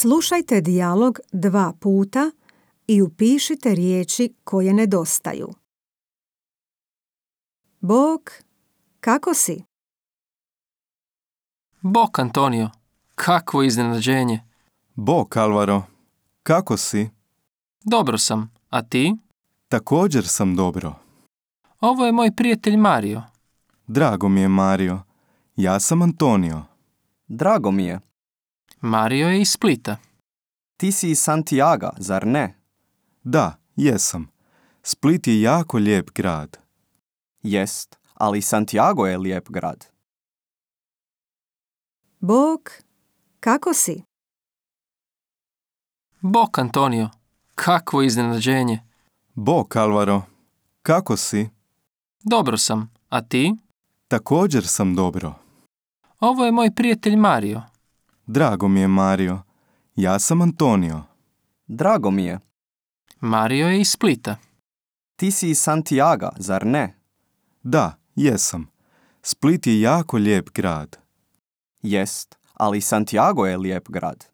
Slušajte dijalog 2 puta i upišite riječi koje nedostaju. Bog, kako si? Bok, Antonio, kakvo iznenađenje. Bok, Alvaro, kako si? Dobro sam, a ti? Također sam dobro. Ovo je moj prijatelj Mario. Drago mi je, Mario. Ja sam Antonio. Drago mi je. Mario je iz Splita. Ti si iz Santiaga, zar ne? Da, jesam. Split je jako lijep grad. Jest, ali Santiago je lijep grad. Bog, kako si? Bok, Antonio, kakvo iznenađenje. Bok, Alvaro, kako si? Dobro sam, a ti? Također sam dobro. Ovo je moj prijatelj Mario. Drago mi je, Mario. Ja sam Antonio. Drago mi je. Mario je iz Splita. Ti si iz Santiaga, zar ne? Da, jesam. Split je jako lijep grad. Jest, ali Santiago je lijep grad.